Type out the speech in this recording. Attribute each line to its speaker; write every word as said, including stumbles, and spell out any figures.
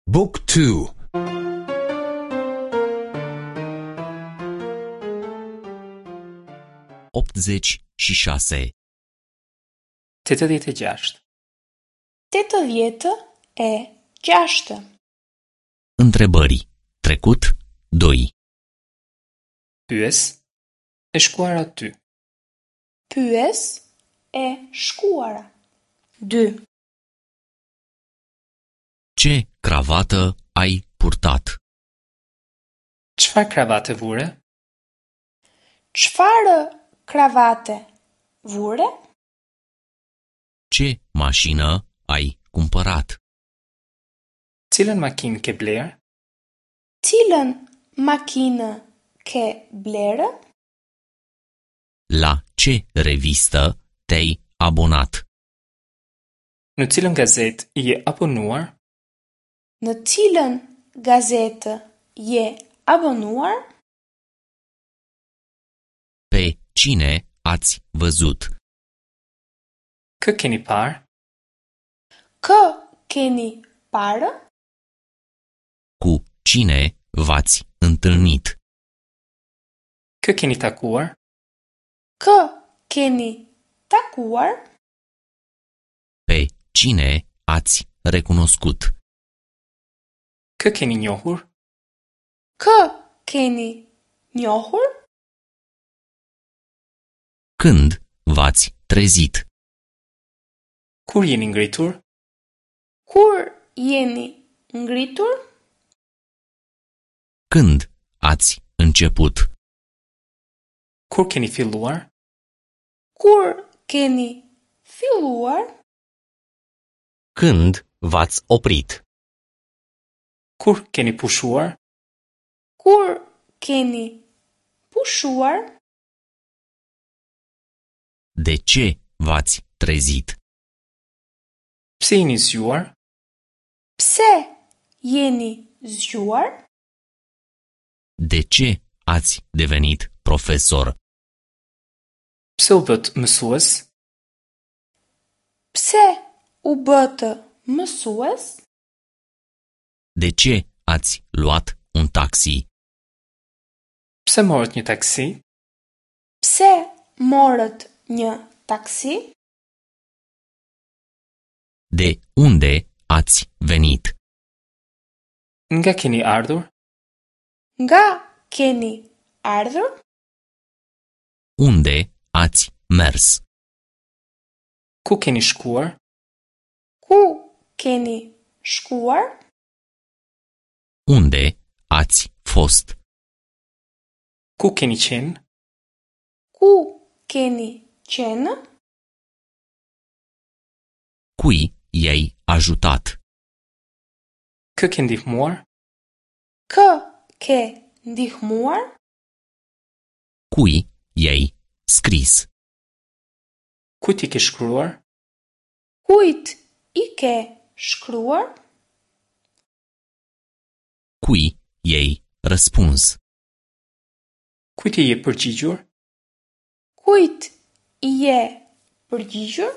Speaker 1: Book two.
Speaker 2: Optzeci și șase.
Speaker 3: Tetëdhjetë e gjashtë.
Speaker 4: Tetëdhjetë e gjashtë.
Speaker 2: Întrebări. Trecut doi.
Speaker 3: Pyes, e shkuara dy.
Speaker 4: Pyes, e shkuara. Dy.
Speaker 2: Ce cravată ai purtat?
Speaker 3: Çfarë kravate vure?
Speaker 4: Çfarë kravate vure?
Speaker 2: Ce mașină ai cumpărat?
Speaker 3: Cilën makinë ke blerë?
Speaker 4: Cilën makinë ke blerë?
Speaker 2: La ce revistă te-ai abonat?
Speaker 3: Në cilën gazetë je abonuar?
Speaker 4: Në cilën gazetë je abonuar?
Speaker 2: Pe cine ați văzut?
Speaker 3: Kë keni parë?
Speaker 4: Kë keni parë?
Speaker 2: Cu cine v-ați întâlnit?
Speaker 3: Kë keni takuar?
Speaker 4: Kë keni takuar?
Speaker 2: Pe cine ați recunoscut?
Speaker 3: Kë keni njohur?
Speaker 4: Kë keni njohur?
Speaker 2: Când v-ați trezit?
Speaker 3: Kur jeni ngritur?
Speaker 4: Kur jeni ngritur?
Speaker 2: Când ați început?
Speaker 3: Kur keni filluar?
Speaker 4: Kur keni filluar?
Speaker 2: Când v-ați oprit?
Speaker 3: Kur keni pushuar?
Speaker 4: Kur keni pushuar?
Speaker 2: De ce v-ați trezit?
Speaker 3: Pse jeni zgjuar?
Speaker 4: Pse jeni zgjuar?
Speaker 2: De ce ați devenit profesor?
Speaker 3: Pse u bët mësues?
Speaker 4: Pse u bëtë mësues?
Speaker 2: De ce ați luat un taxi?
Speaker 3: Pse morët një taksi?
Speaker 4: Pse morët një taksi?
Speaker 2: De unde ați venit?
Speaker 3: Nga keni ardhur?
Speaker 4: Nga keni ardhur?
Speaker 2: Unde ați mers?
Speaker 3: Ku keni shkuar?
Speaker 4: Ku keni shkuar?
Speaker 2: Unde ați fost?
Speaker 3: Ku keni qenë?
Speaker 4: Ku keni qenë?
Speaker 2: Cui i-ai ajutat?
Speaker 3: Kë ke ndihmuar?
Speaker 4: Kë ke ndihmuar?
Speaker 2: Cui i-ai scris?
Speaker 3: Kujt i ke shkruar?
Speaker 4: Kujt i ke shkruar?
Speaker 2: Cui i-ai răspuns?
Speaker 3: Kujt i je përgjigjur?
Speaker 4: Kujt i je përgjigjur?